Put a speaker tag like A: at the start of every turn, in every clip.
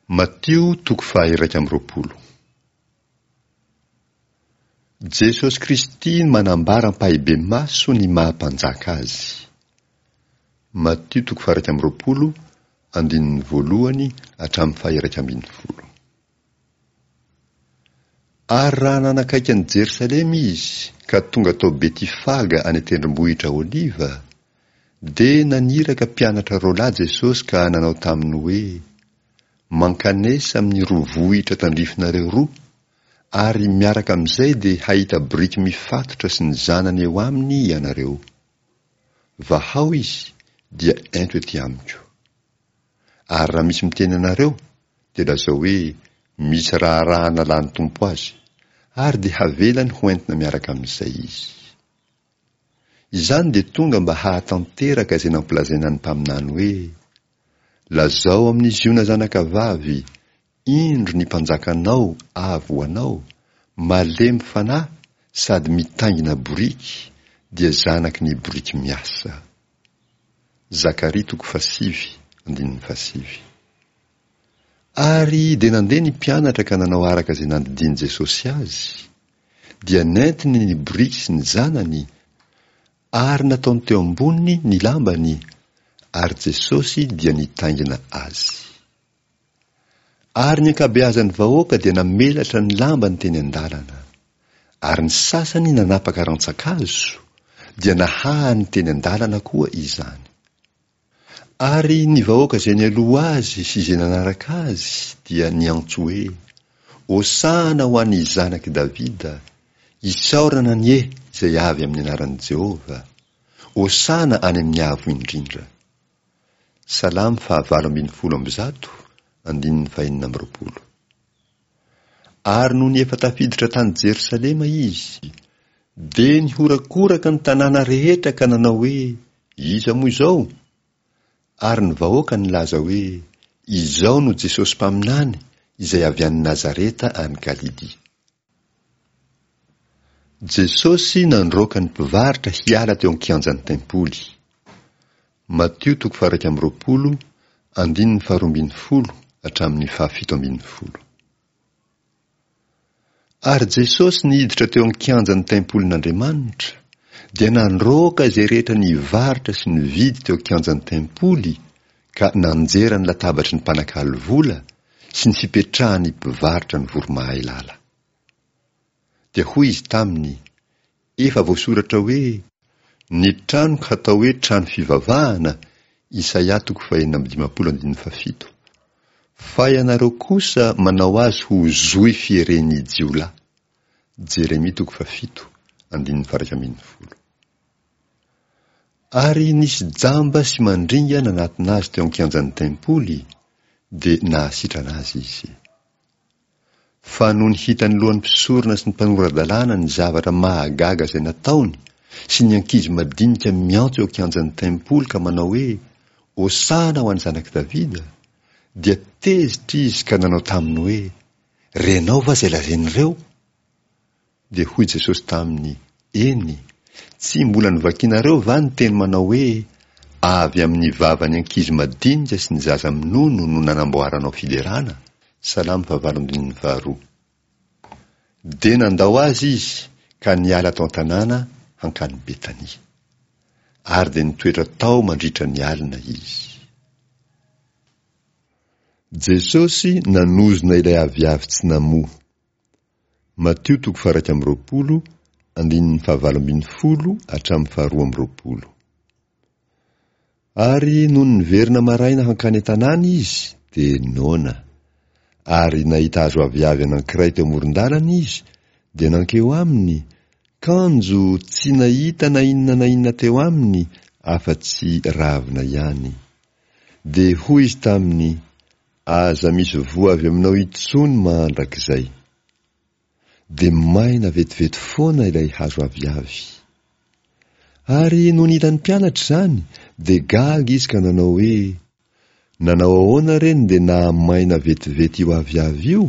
A: Matio toko faha-21. Jesosy Kristy manambara ampahibemaso ny maha Mpanjaka Azy. Matio toko faha-21, andininy voalohany hatramin'ny faha-11. Ary raha nanakaiky an'i Jerosalema Izy ka tonga tao Betifaga any an-tendrombohitra Oliva, dia naniraka mpianatra roalahy Jesosy ka nanao taminy hoe, Mankanesa amin'ny roa vohitra tandrifinareo roa, ary miaraka amin'izay dia hahita boriky mifatotra sy ny zanany eo aminy ianareo. Vahao izy, dia ento ety amiko. Ary raha misy miteny anareo, dia lazao hoe, Misy raharaha nalan'ny Tompo azy, ary dia havelany ho entina miaraka amin'izay izy. Izany dia tonga mba hahatanteraka izay nampilazaina ny mpaminany hoe, Lazao amin'i Ziona zanakavavy, Indro ny mpanjakanao avy ho anao, malemy fanahy sady mitaingina boriky, dia zanaky ny boriky miasa. Zakaria toko fahasivy, andininy fahasivy. Ary dia nandeha ny mpianatra ka nanao araka izay nandidian'i Jesosy azy, dia nentiny ny boriky sy ny zanany, ary nataony teo amboniny ny lambany, ary Jesosy dia nitaingina azy. Ary ny ankabeazan'ny vahoaka dia namelatra ny lambany teny an-dalana. Ary ny sasany nanapaka rantsan-kazo, dia nahahany teny an-dalana koa izany. Ary ny vahoaka izay nialoha azy sy izay nanaraka azy dia niantso hoe, Hosana ho an'ny Zanak'i Davida! Isaorana anie izay avy amin'ny anaran'i Jehovah! Hosana any amin'ny avo indrindra! Salamo fahavalo 118, andininy fahenina amby roapolo. Ary nony efa tafiditra tany Jerosalema izy, dia nihorakoraka ny tanàna rehetra ka nanao hoe, Iza moa izao? Ary ny vahoaka nilaza hoe, Izao no Jesosy mpaminany izay avy any Nazareta any Galilia. Jesosy nandroaka ny mpivarotra hiala teo an-kianjan'ny tempoly. Matio toko faha-21, andininy faharoambinifolo hatramin'ny fahafito ambinifolo. Ary Jesosy niditra teo an-kianjan'ny tempolin'Andriamanitra, dia nandroaka izay rehetra nivarotra sy nividy teo an-kianjan'ny tempoly ka nanjera ny latabatry ny mpanakalo vola sy ny fipetrahan'ny mpivarotra ny voromahailala. Dia hoy izy taminy, Efa voasoratra hoe, Ny tranoko hatao hoe trano fivavahana, Isaia toko fahenina amby dimampolo andininy fahafito. Fa ianareo kosa manao azy ho zohy fieren'ny jiolahy. Jeremia toko fahafito andininy faha-iraika ambinifolo. Ary nisy jamba sy mandringa nanatona azy teo an-kianjan'ny tempoly, dia nahasitrana azy izy. Fa nony hitan'ny lohan'ny mpisorona sy ny mpanora-dalàna ny zavatra mahagaga izay nataony, sy ny ankizy madinika miantso eo an-kianjan'ny tempoly ka manao hoe, Hosana ho an'ny Zanak'i Davida, dia tezitra izy ka nanao taminy hoe, Renao va izay lazain'ireo? Dia hoy Jesosy taminy, Eny, tsy mbola novakinareo va ny teny manao hoe, Avy amin'ny vavan'ny ankizy madinika sy ny zaza minono no nanamboaranao fiderana? Salamo fahavalo andininy faharoa. Dia nandao azy izy ka niala tao an-tanàna hankany Betania. Ary dia nitoetra tao mandritra ny alina izy. Jesosy nanozona ilay aviavy tsy namoa. Matio toko faha-21, andininy fahavalo ambinifolo hatramin'ny faharoa amby roapolo. Ary nony niverina maraina hankany an-tanàna izy, dia noana. Ary nahita hazo aviavy anankiray teo amoron-dalana izy, dia nankeo aminy, kanjo tsy nahita na inona na inona teo aminy afa-tsy ravina ihany. Dia hoy izy taminy, Aza misy voa avy aminao intsony mandrakizay. Dia maina vetivety foana ilay hazo aviavy. Ary nony hitan'ny mpianatra izany, dia gaga izy ka nanao hoe, Nanao ahoana re no dia nahamaina vetivety io aviavy io?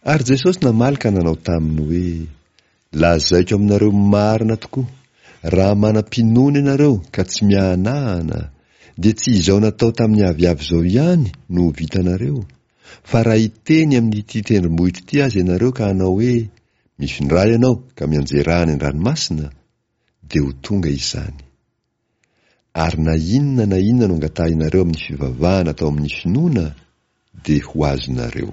A: Ary Jesosy namaly ka nanao taminy hoe, Lazaiko aminareo marina tokoa, raha manam-pinoana ianareo ka tsy miahanahana, dia tsy izao natao tamin'ny aviavy izao ihany no ho vitanareo, fa raha hiteny amin'ity tendrombohitra ity aza ianareo ka hanao hoe, Mifindrà ianao ka mianjerà any an-dranomasina, dia ho tonga izany. Ary na inona na inona no angatahinareo amin'ny fivavahana atao amin'ny finoana, dia ho azonareo.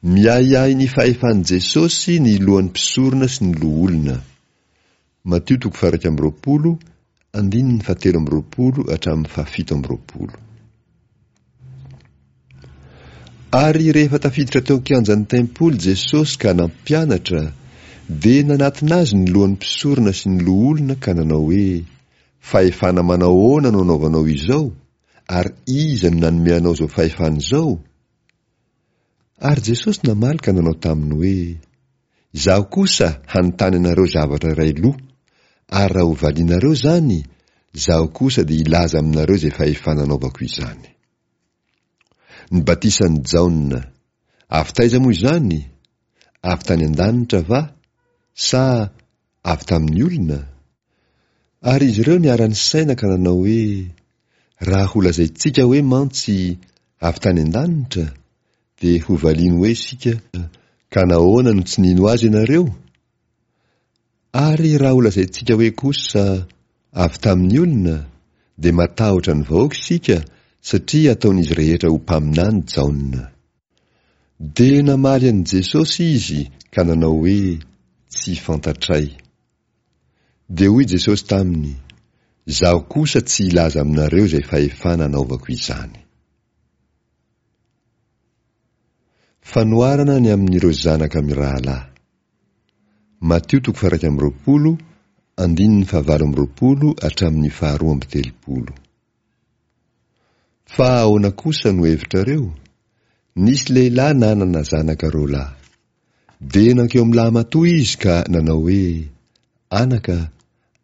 A: Miahiahy ny fahefan'i Jesosy ny lohan'ny mpisorona sy ny loholona. Matio toko faha-21, andininy fahatelo amby roapolo hatramin'ny fahafito amby roapolo. Ary rehefa tafiditra teo an-kianjan'ny tempoly Jesosy ka nampianatra, dia nanatona azy ny lohan'ny mpisorona sy ny loholona ka nanao hoe, Fahefana manao ahoana no anaovanao izao, ary iza no nanome anao izao fahefana izao? Ary Jesosy namaly ka nanao taminy hoe, Izaho kosa hanontany anareo zavatra iray loha, ary raha hovalianareo izany, izaho kosa dia hilaza aminareo izay fahefana anaovako izany. Ny batisan'i Jaona, avy taiza moa izany? Avy tany an-danitra va, sa avy tamin'ny olona? Ary izy ireo niara-nisaina ka nanao hoe, Raha holazaintsika hoe mantsy avy tany an-danitra, dia hovaliany hoe isika, Ka nahoana no tsy nino azy ianareo? Ary raha holazaintsika hoe kosa, Avy tamin'ny olona, dia matahotra ny vahoaka isika, satria ataon'izy rehetra ho mpaminany Jaona. Dia namaly an'i Jesosy izy ka nanao hoe, Tsy fantatray. Dia hoy Jesosy taminy, Izaho kosa tsy hilaza aminareo izay fahefana anaovako izany. Fanoharana ny amin'ireo zanaka mirahalahy. Matio toko faha-21, andininy fahavalo amby roapolo hatramin'ny faharoa amby telopolo. Fa ahoana kosa no hevitrareo? Nisy lehilahy nanana zanaka roa lahy. Dia nankeo amin'ny lahimatoa izy ka nanao hoe, Anaka,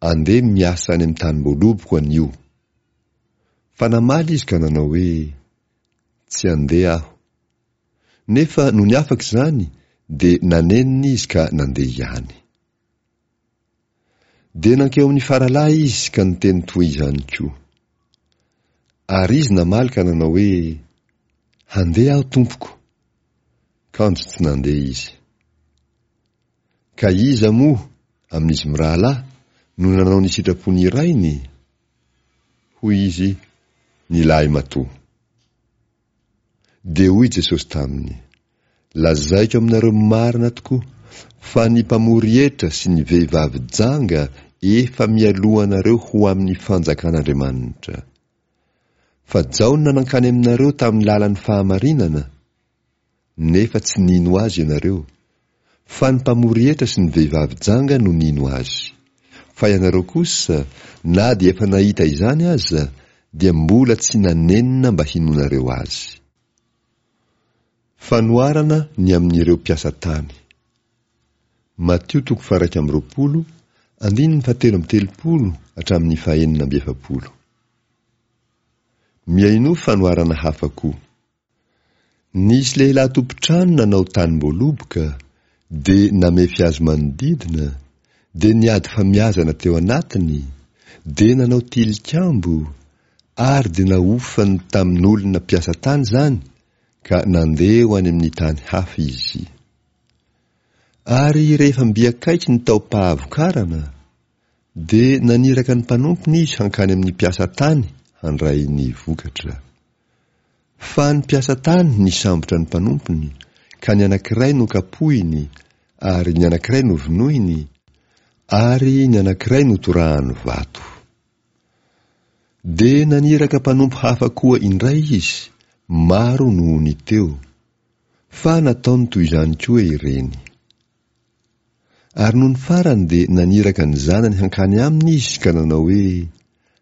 A: andeha miasa any amin'ny tanim-boaloboko anio. Fa namaly izy ka nanao hoe, Tsy handeha aho. Nefa nony afaka izany dia nanenina izy ka nandeha ihany. Dia nankeo amin'ny faralahy izy ka niteny toy izany koa. Ary izy namaly ka nanao hoe, Handeha aho, tompoko. Kanjo tsy nandeha izy. Ka iza moa, amin'izy mirahalahy, no nanao ny sitrapon'ny rainy? Hoy izy, Ny lahimatoa. Dia hoy Jesosy taminy, Lazaiko aminareo marina tokoa, fa ny mpamory hetra sy ny vehivavy janga efa mialoha anareo ho amin'ny fanjakan'Andriamanitra. Fa Jaona nankany aminareo tamin'ny lalan'ny fahamarinana, nefa tsy nino azy ianareo, fa ny mpamory hetra sy ny vehivavy janga no nino azy. Fa ianareo kosa, na dia efa nahita izany aza, dia mbola tsy nanenina mba hinoanareo azy. Fanoharana ny amin'ireo mpiasa tany. Matio toko faha-21, andininy fahatelo amby telopolo hatramin'ny fahenina amby efapolo. Mihainoa fanoharana hafa koa. Nisy lehilahy tompon-trano nanao tanim-boaloboka, dia namefy azy manodidina, dia niady famiazana teo anatiny, dia nanao tilikambo, ary dia nahofany tamin'olona mpiasa tany izany, ka nandeha ho any amin'ny tany hafa izy. Ary rehefa mby akaiky ny taom-pahavokarana, dia naniraka ny mpanompony izy hankany amin'ny mpiasa tany handray ny vokatra. Fa ny mpiasa tany nisambotra ny mpanompony, ka ny anankiray nokapohiny, ary ny anankiray novonoiny, ary ny anankiray notorahany vato. Dia naniraka mpanompo hafa koa indray izy, maro noho ny teo, fa nataony toy izany koa ireny. Ary nony farany dia naniraka ny zanany hankany aminy izy ka nanao hoe,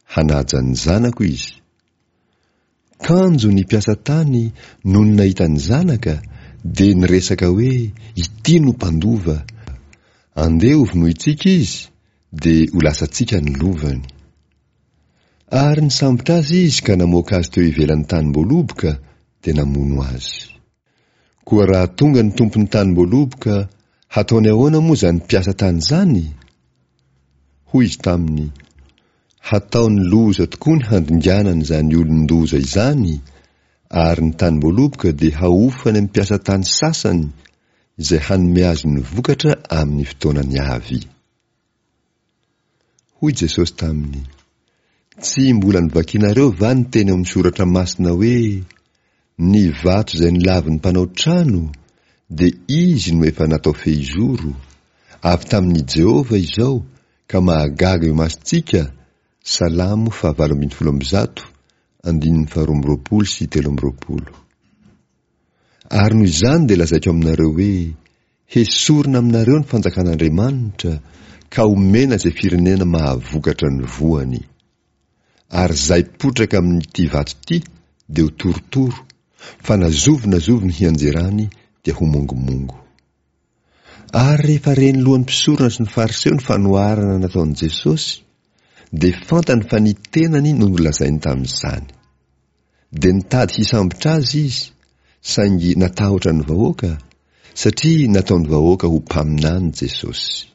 A: Hanaja ny zanako izy. Kanjo ny mpiasa tany nony nahita ny zanaka dia niresaka hoe, Ity no mpandova. Andeha hovonointsika izy, dia ho lasantsika ny lovany. Ary nisambotra azy izy ka namoaka azy teo ivelan'ny tanim-boaloboka dia namono azy. Koa raha tonga ny tompon'ny tanim-boaloboka, hataony ahoana moa izany mpiasa tany izany? Hoy izy taminy, Hataony loza tokoa ny handinganana izany olon-doza izany, ary ny tanim-boaloboka dia hahofany amin'ny mpiasa tany sasany izay hanome azy ny vokatra amin'ny fotoanany avy. Hoy Jesosy taminy, Tsy mbola novakinareo va ny teny ao amin'ny Soratra Masina hoe, Ny vato izay nolavin'ny mpanao trano, dia izy no efa natao fehizoro, avy tamin'i Jehovah izao, ka mahagaga eo imasontsika, Salamo fahavalo 118, andininy faharoa amby roapolo sy 23. Ary noho izany dia lazaiko aminareo hoe, Hesorina aminareo ny fanjakan'Andriamanitra ka homena izay firenena mahavokatra ny voany. Ary izay potraka amin'ity vato ity dia ho torotoro, fa na zovy na zovy ny hianjerany dia ho mongomongo. Ary rehefa ren'ny lohan'ny mpisorona sy ny Fariseo ny fanoharana nataon'i Jesosy, dia fantany fa ny tenany no nolazainy tamin'izany. Dia nitady hisambotra azy izy, saingy natahotra ny vahoaka, satria nataon'ny vahoaka ho mpaminany Jesosy.